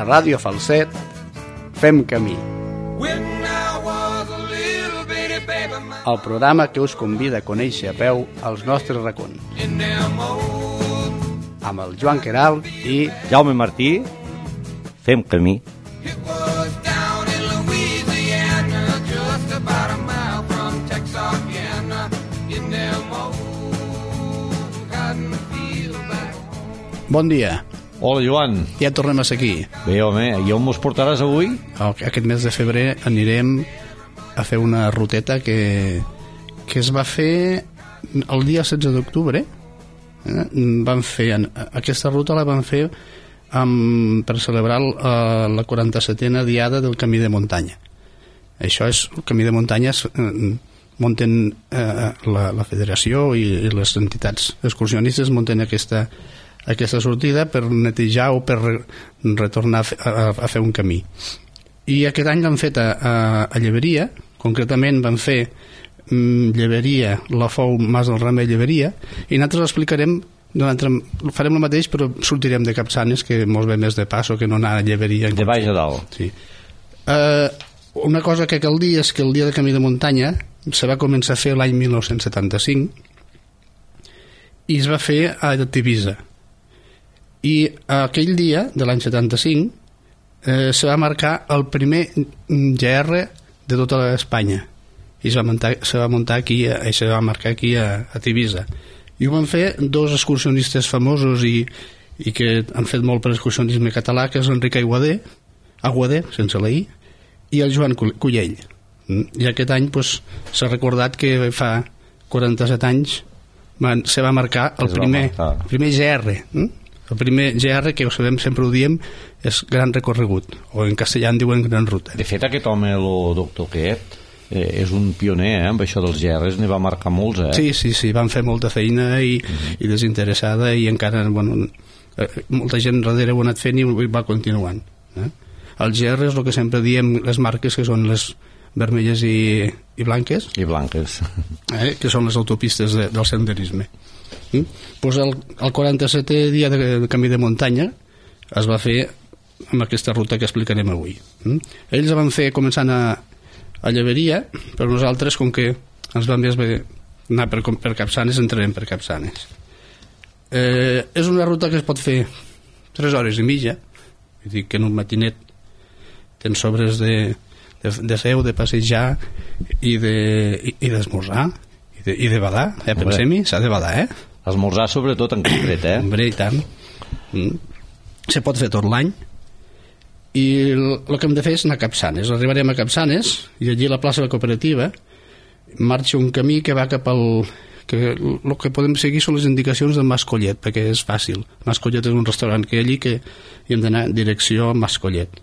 A Ràdio Falset fem camí. El programa que us convida a conèixer a peu els nostres racons. Amb el Joan Queralt i Jaume Martí, fem camí. bon dia. Hola, Joan. Ja tornem a ser aquí. Bé, home, i on mos portaràs avui? Aquest mes de febrer anirem a fer una ruteta que es va fer el dia 16 d'octubre. Van fer aquesta ruta la van fer per celebrar la 47a diada del Camí de Muntanya. Això és el Camí de Muntanya, munten la federació i les entitats excursionistes munten aquesta sortida per netejar o per retornar a fer un camí. I aquest any l'han fet a Lleberia, concretament van fer Lleberia, la Fou, Mas del Remei, Lleberia, i nosaltres l'explicarem, farem el mateix però sortirem de Capçanes, que molt bé més de passo que no anar a Lleberia. De baix a dalt. Sí. Una cosa que cal dir és que el dia de Camí de Muntanya se va començar a fer l'any 1975 i es va fer a Tivisa. I aquell dia de l'any 75 se va marcar el primer GR de tota Espanya i se va muntar aquí i se va marcar aquí a Tivisa, i ho van fer dos excursionistes famosos i que han fet molt per l'excursionisme català, que és l'Enric Aguader, sense la I, i el Joan Cullell. I aquest any s'ha recordat que fa 47 anys se va marcar el primer GR. El primer GR, que ho sabem, sempre ho diem, és Gran Recorregut, o en castellà en diuen Gran Ruta. De fet, aquest home, el doctor Quet, és un pioner amb això dels GRs, n'hi va marcar molts. Sí, van fer molta feina i desinteressada, i encara molta gent darrere ho ha anat fent i va continuant. El GR és el que sempre diem, les marques que són les vermelles i blanques, que són les autopistes del senderisme. Pues el 47è dia de Camí de Muntanya es va fer amb aquesta ruta que explicarem avui. Ells van fer començant a Lleberia, però nosaltres, com que ens va més bé anar per Capçanes, entrarem per Capçanes. És una ruta que es pot fer 3 hores i mitja, vull dir que en un matinet tens sobres de fer, de passejar i d'esmorzar i de badar, pensem-hi, s'ha de badar, esmorzar sobretot en concret, Hombre, i tant. Se pot fer tot l'any, i el que hem de fer és anar a Capçanes. Arribarem a Capçanes i allí a la plaça de la Cooperativa marxa un camí que va cap al... el que podem seguir són les indicacions del Mas Collet, perquè és fàcil. Mas Collet és un restaurant que hi ha allí que hi hem d'anar en direcció a Mas Collet.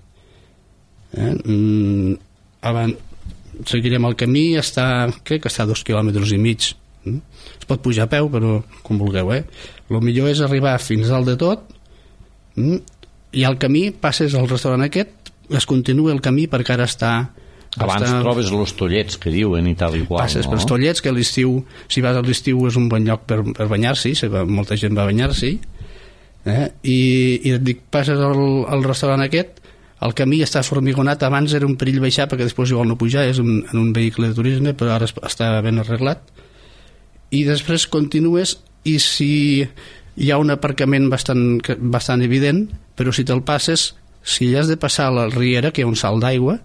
Seguirem el camí, crec que està a 2,5 quilòmetres. Es pot pujar a peu, però com vulgueu. El millor és arribar fins dalt de tot, i al camí passes al restaurant aquest, es continua el camí perquè ara està... Abans trobes els Tollets, que diuen, i tal i qual. Passes pels Tollets, que a l'estiu, si vas a l'estiu és un bon lloc per banyar-s'hi, molta gent va banyar-s'hi, i et dic, passes al restaurant aquest, el camí està formigonat, abans era un perill baixar perquè després igual no pujar, és en un vehicle de turisme, però ara està ben arreglat, i després continues, i si hi ha un aparcament bastant evident, però si te'l passes, si has de passar a la riera, que hi ha un salt d'aigua,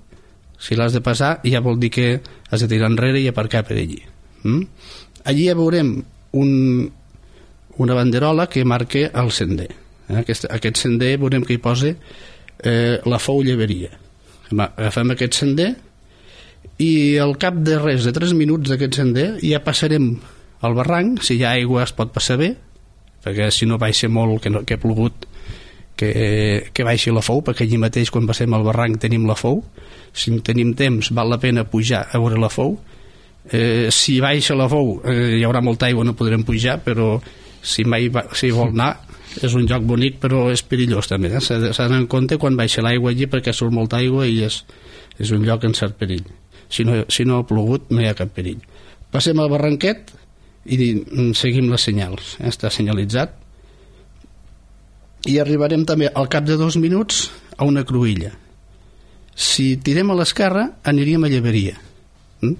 si l'has de passar ja vol dir que has de tirar enrere i aparcar per allí. Allí ja veurem una banderola que marca el sender. Aquest sender veurem que hi posa la Fou Lleberia. Agafem aquest sender i al cap de res de 3 minuts d'aquest sender ja passarem al barranc. Si hi ha aigua es pot passar bé, perquè si no baixa molt, que ha plogut, que baixi la Fou, perquè allí mateix quan passem al barranc tenim la Fou. Si tenim temps val la pena pujar a veure la Fou. Si baixa la Fou hi haurà molta aigua, no podrem pujar, però si vol anar és un lloc bonic, però és perillós també, s'ha d'anar en compte quan baixa l'aigua allí, perquè surt molta aigua i és un lloc en cert perill. Si no ha plogut no hi ha cap perill. Passem al barranquet i seguim les senyals, està senyalitzat, i arribarem també al cap de 2 minuts a una cruïlla. Si tirem a l'esquerra aniríem a Lleberia,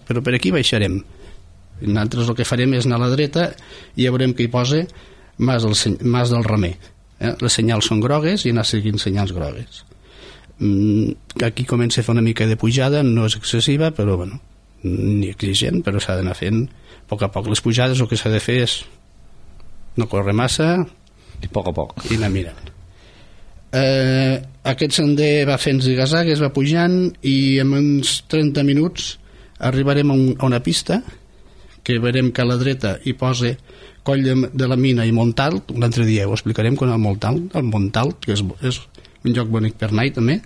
però per aquí baixarem. Nosaltres el que farem és anar a la dreta i ja veurem que hi posa Mas del Remer. Les senyals són grogues i anar seguint senyals grogues. Aquí comença a fer una mica de pujada, no és excessiva, però bueno, ni exigent, però s'ha d'anar fent a poc. Les pujades el que s'ha de fer és no córrer massa i a poc i anar mirant. Aquest sender va fent zigazagues, va pujant, i en uns 30 minuts arribarem a una pista que veurem que a la dreta hi posa Coll de la Mina i Montalt. Un altre dia ho explicarem quan el Montalt, que és un lloc bonic per anar també,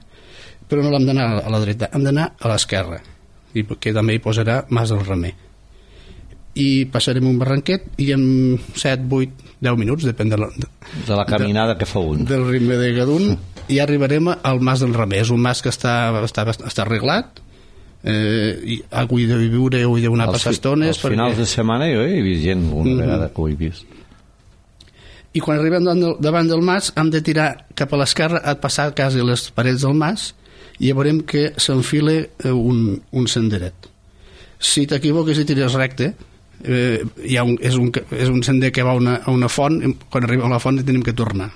però no l'hem d'anar a la dreta, hem d'anar a l'esquerra, i que també hi posarà Mas del Remer. I passarem un barranquet i en 7, 8, 10 minuts, depèn de la caminada que fa un, del ritme de Gadun, i arribarem al Mas del Remer. És un mas que està arreglat, i avui de viure, avui d'una passar estones. Als finals de setmana jo he vist gent una vegada que ho he vist. I quan arribem davant del mas hem de tirar cap a l'esquerra, a passar quasi les parets del mas, i ja veurem que s'enfila un senderet. Si t'equivoques i tires recte, és un sender que va a una font. Quan arribem a la font tenim que tornar.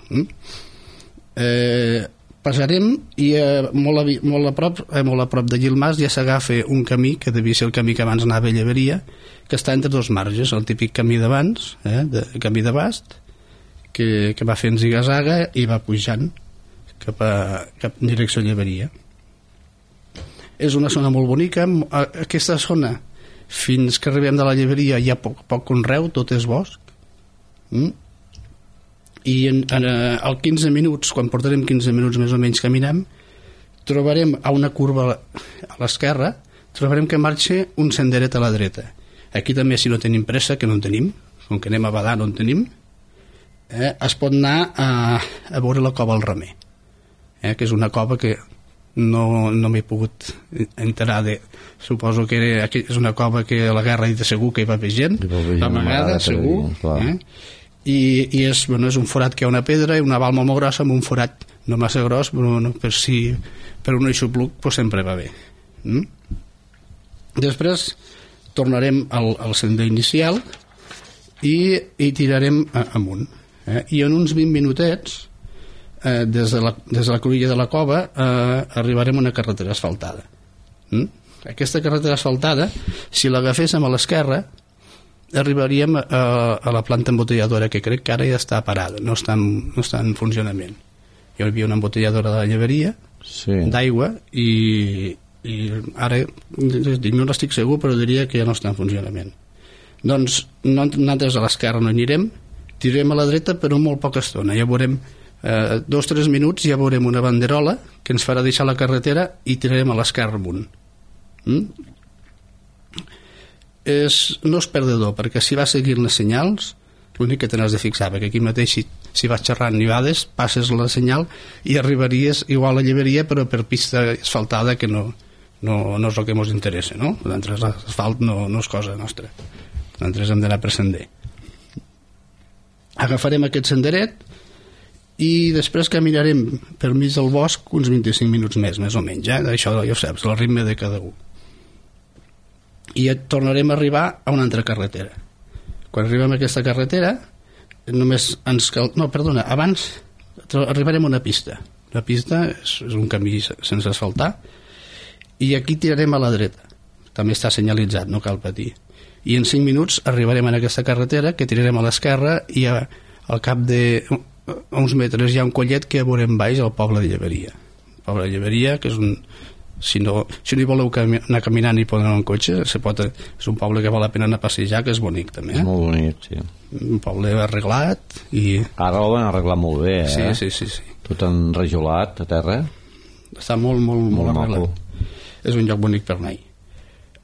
Passarem i molt a prop d'allí el mas ja s'agafa un camí que devia ser el camí que abans anava a Lleberia, que està entre dos marges, el típic camí d'abans, camí de Bast, que va fent zigazaga i va pujant cap en direcció a Lleberia. És una zona molt bonica. Aquesta zona, fins que arribem de la Lleberia, hi ha poc conreu, tot és bosc. I al 15 minuts, quan portarem 15 minuts més o menys caminant, trobarem a una curva a l'esquerra, trobarem que marxa un senderet a la dreta. Aquí també, si no tenim pressa, que no en tenim, com que anem a badar no en tenim, es pot anar a veure la cova al Remer, que és una cova que no m'he pogut enterar de... Suposo que és una cova que a la guerra de segur que hi va haver gent, amagada, segur, i és un forat que hi ha una pedra i una balma molt grossa amb un forat no massa gros, però per un eixopluc sempre va bé. Després tornarem al sender inicial i tirarem amunt, i en uns 20 minutets des de la cruïlla de la cova arribarem a una carretera asfaltada. Aquesta carretera asfaltada, si l'agaféssim a l'esquerra, arribaríem a la planta embotelladora, que crec que ara ja està parada, no està en funcionament. Hi havia una embotelladora de la Lleberia d'aigua i ara no n'estic segur, però diria que ja no està en funcionament. Doncs nosaltres a l'esquerra no anirem, tirarem a la dreta però molt poca estona. Ja veurem 2 o 3 minuts, ja veurem una banderola que ens farà deixar la carretera i tirarem a l'esquerra amunt. No és perdedor, perquè si vas seguint les senyals, l'únic que te n'has de fixar, perquè aquí mateix si vas xerrant nivades, passes la senyal i arribaries igual a Lleberia, però per pista asfaltada, que no és el que ens interessa, no? L'asfalt no és cosa nostra, nosaltres hem d'anar per sender. Agafarem aquest senderet i després caminarem per mig del bosc uns 25 minuts més o menys, això ja ho saps, el ritme de cada un, i tornarem a arribar a una altra carretera. Quan arribem a aquesta carretera abans arribarem a una pista. La pista és un camí sense asfaltar i aquí tirarem a la dreta, també està senyalitzat, no cal patir, i en 5 minuts arribarem a aquesta carretera que tirarem a l'esquerra i al cap d'uns metres hi ha un collet que veurem baix al poble de Lleberia. El poble de Lleberia, que és si no hi voleu anar caminant i poder anar en cotxe, és un poble que val la pena anar a passejar, que és bonic també. És molt bonic, sí. Un poble arreglat i... Ara ho van arreglar molt bé, Sí. Tot enrajolat a terra. Està molt arreglat. És un lloc bonic per anar-hi.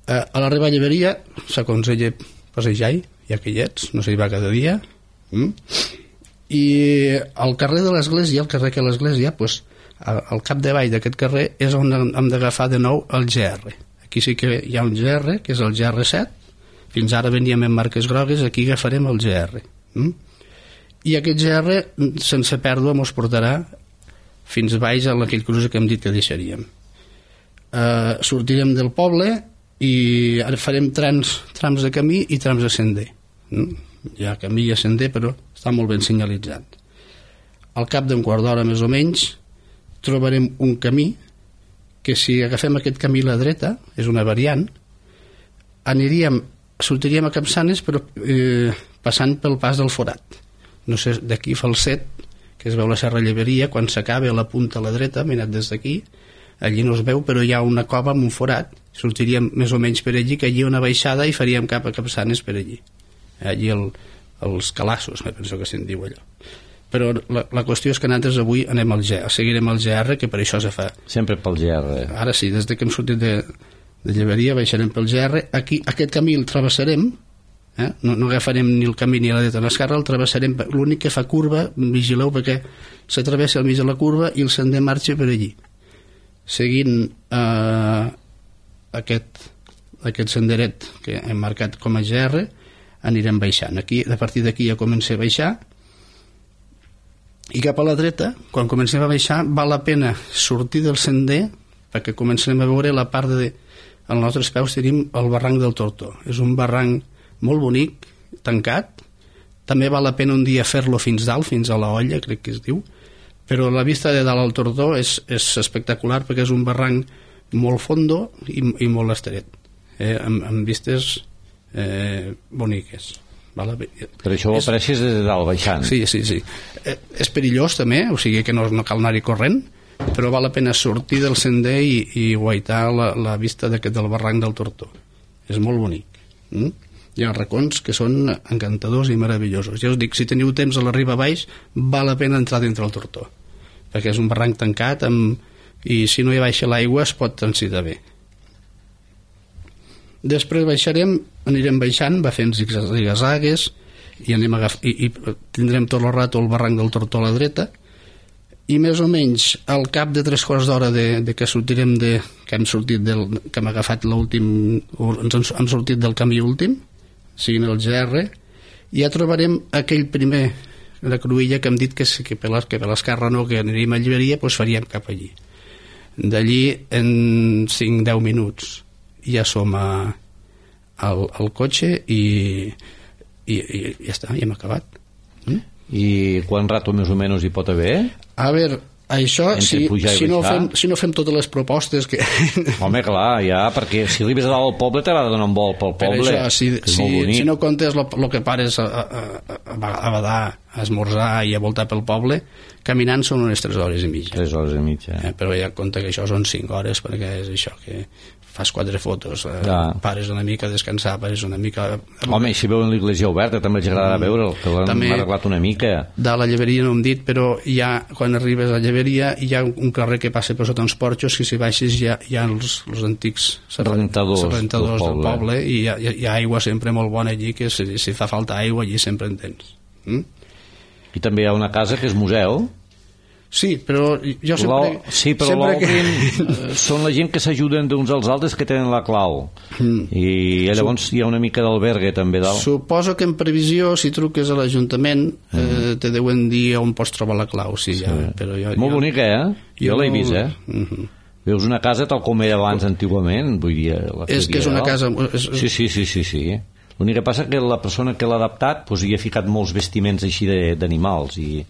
A l'arribar a Lleberia s'aconsella passejar-hi, ja que hi ets, no s'hi va cada dia. I al carrer de l'Església, al carrer que l'Església, al capdavall d'aquest carrer és on hem d'agafar de nou el GR. Aquí sí que hi ha un GR, que és el GR7. Fins ara veníem en marques grogues, aquí agafarem el GR. I aquest GR, sense pèrdua, ens portarà fins baix a aquell cruce que hem dit que deixaríem. Sortirem del poble i ara farem trams de camí i trams de sender. Hi ha camí i sender, però està molt ben senyalitzat. Al cap d'un quart d'hora més o menys trobarem un camí que, si agafem aquest camí a la dreta, és una variant, sortiríem a Capçanes, però passant pel pas del Forat. No sé, d'aquí Falset, que es veu la Serra Lleberia, quan s'acaba a la punta a la dreta, mirat des d'aquí, allí no es veu, però hi ha una cova amb un forat, sortiríem més o menys per allí, que allí una baixada i faríem cap a Capçanes per allí. Allí els Calassos, me penso que se'n diu allò. Però la qüestió és que nosaltres avui anem seguirem al GR, que per això se fa. Sempre pel GR. Ara sí, des que hem sortit de Lleberia baixarem pel GR. Aquí, aquest camí el travessarem, no agafarem ni el camí ni la dreta ni l'esquerra, el travessarem. L'únic que fa curva, vigileu, perquè s'atravessa al mig de la curva i el sender marxa per allí. Seguint aquest senderet que hem marcat com a GR, anirem baixant. A partir d'aquí ja comença a baixar, i cap a la dreta, quan comencem a baixar, val la pena sortir del sender, perquè començarem a veure la part de... Als nostres peus tenim el barranc del Tortó. És un barranc molt bonic, tancat. També val la pena un dia fer-lo fins dalt, fins a la Olla, crec que es diu, però la vista de dalt al Tortó és espectacular, perquè és un barranc molt fondo i molt estret, amb vistes boniques. Per això ho apareixes des de dalt baixant. Sí. És perillós també, o sigui que no cal anar-hi corrent, però val la pena sortir del sender i guaitar la vista del barranc del Tortó. És molt bonic. Hi ha racons que són encantadors i meravellosos. Ja us dic, si teniu temps a la riba baix, val la pena entrar dintre el Tortó, perquè és un barranc tancat i si no hi baixa l'aigua es pot transitar bé. Després anirem baixant, va fent zigazagues i tindrem tot el rato el barranc del Tortó a la dreta, i més o menys al cap de 3 quarts d'hora de que sortirem que hem agafat hem sortit del camí últim, siguin el GR, ja trobarem aquell primer, la cruïlla que hem dit que per l'esquerra no, que aniríem a Lliberia, doncs faríem cap allí. D'allí en 5-10 minuts ja som al cotxe i ja està, ja hem acabat. I quant rato més o menys hi pot haver? A veure, això si no fem totes les propostes que... Home, clar, ja, perquè si arribes a dalt al poble t'haurà de donar un vol pel poble. Per això, si no comptes el que pares a badar, a esmorzar i a voltar pel poble, caminant són unes 3 hores i mitja. 3 hores i mitja. Però ja compta que això són 5 hores, perquè és això que fas 4 fotos, pares una mica a descansar, pares una mica... Home, si veuen l'església oberta també els agrada veure'l, que l'han arreglat una mica. De la Lleberia no hem dit, però ja quan arribes a Lleberia hi ha un carrer que passa per sota uns porxos, que si baixes hi ha els antics rentadors del poble, i hi ha aigua sempre molt bona allí, que si fa falta aigua allí sempre en tens. I també hi ha una casa que és museu. Sí, però jo sempre... Sí, però l'obrin són la gent que s'ajuden d'uns als altres, que tenen la clau. I llavors hi ha una mica d'albergue també dalt. Suposo que en previsió, si truques a l'Ajuntament, te deuen dir on pots trobar la clau. Sí, ja, però molt bonica, Jo l'he vist, Veus una casa tal com era abans antigament, vull dir... És que és una casa... Sí. L'únic que passa que la persona que l'ha adaptat hi ha ficat molts vestiments així d'animals, i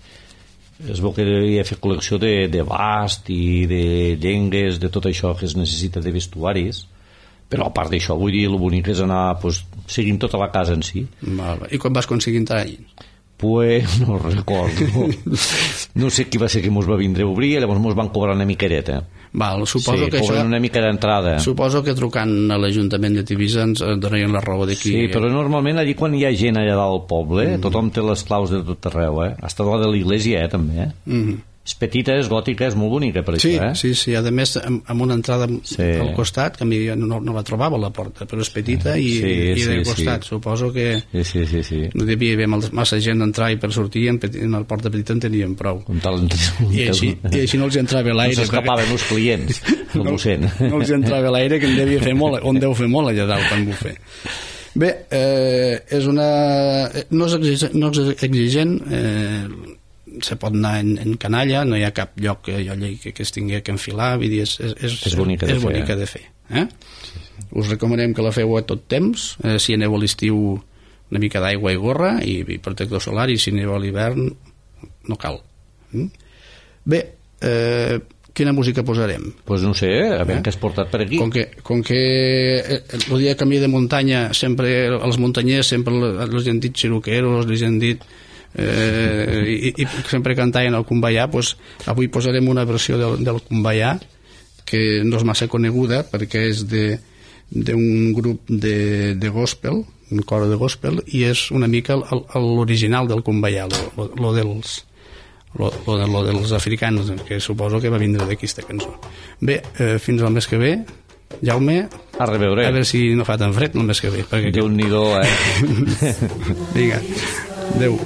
es veu que hi ha fet col·lecció de bast i de llengues, de tot això que es necessita de vestuaris, però a part d'això, vull dir, el bonic és anar seguint tota la casa en si. I quan vas aconseguir entrar allà? Pues no recordo. No sé qui va ser que mos va vindre a obrir, llavors mos van cobrar una miquereta. Suposo que cobren una mica d'entrada. Suposo que trucant a l'Ajuntament de Tivissa ens donarien la raó d'aquí. Sí, però normalment allí quan hi ha gent allà dalt al poble, tothom té les claus de tot arreu, Hasta la de l'església, també, És petita, és gòtica, és molt bonica per això, Sí, a més amb una entrada al costat, que a mi no la trobava a la porta, però és petita i de costat, suposo que no devia haver massa gent d'entrar i per sortir, en la porta petita en teníem prou. I així no els entrava l'aire. No s'escapaven els clients, no els entrava l'aire, que en devia fer molt, on deu fer molt allà dalt quan ho fer. Bé, no és exigent, se pot anar en canalla, no hi ha cap lloc que es tingui que enfilar, vull dir, és bonica de fer. Us recomanem que la feu a tot temps, si aneu a l'estiu una mica d'aigua i gorra i protector solar, i si aneu a l'hivern no cal. Bé, quina música posarem? Pues no sé, a veure què has portat per aquí. Com que el dia de camí de muntanya, sempre els muntanyers sempre els han dit xiroqueros, els han dit i sempre cantaven el Kumbaya, pues avui posarem una versió del Kumbaya que no és massa coneguda perquè és d'un grup de gospel, un cor de gospel, i és una mica l'original del Kumbaya, lo dels africans, que suposo que va vindre d'aquesta cançó. Bé, fins al mes que ve, Jaume, a veure si no fa tan fred el mes que ve. Déu-n'hi-do, Vinga, adeu.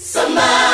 Somebody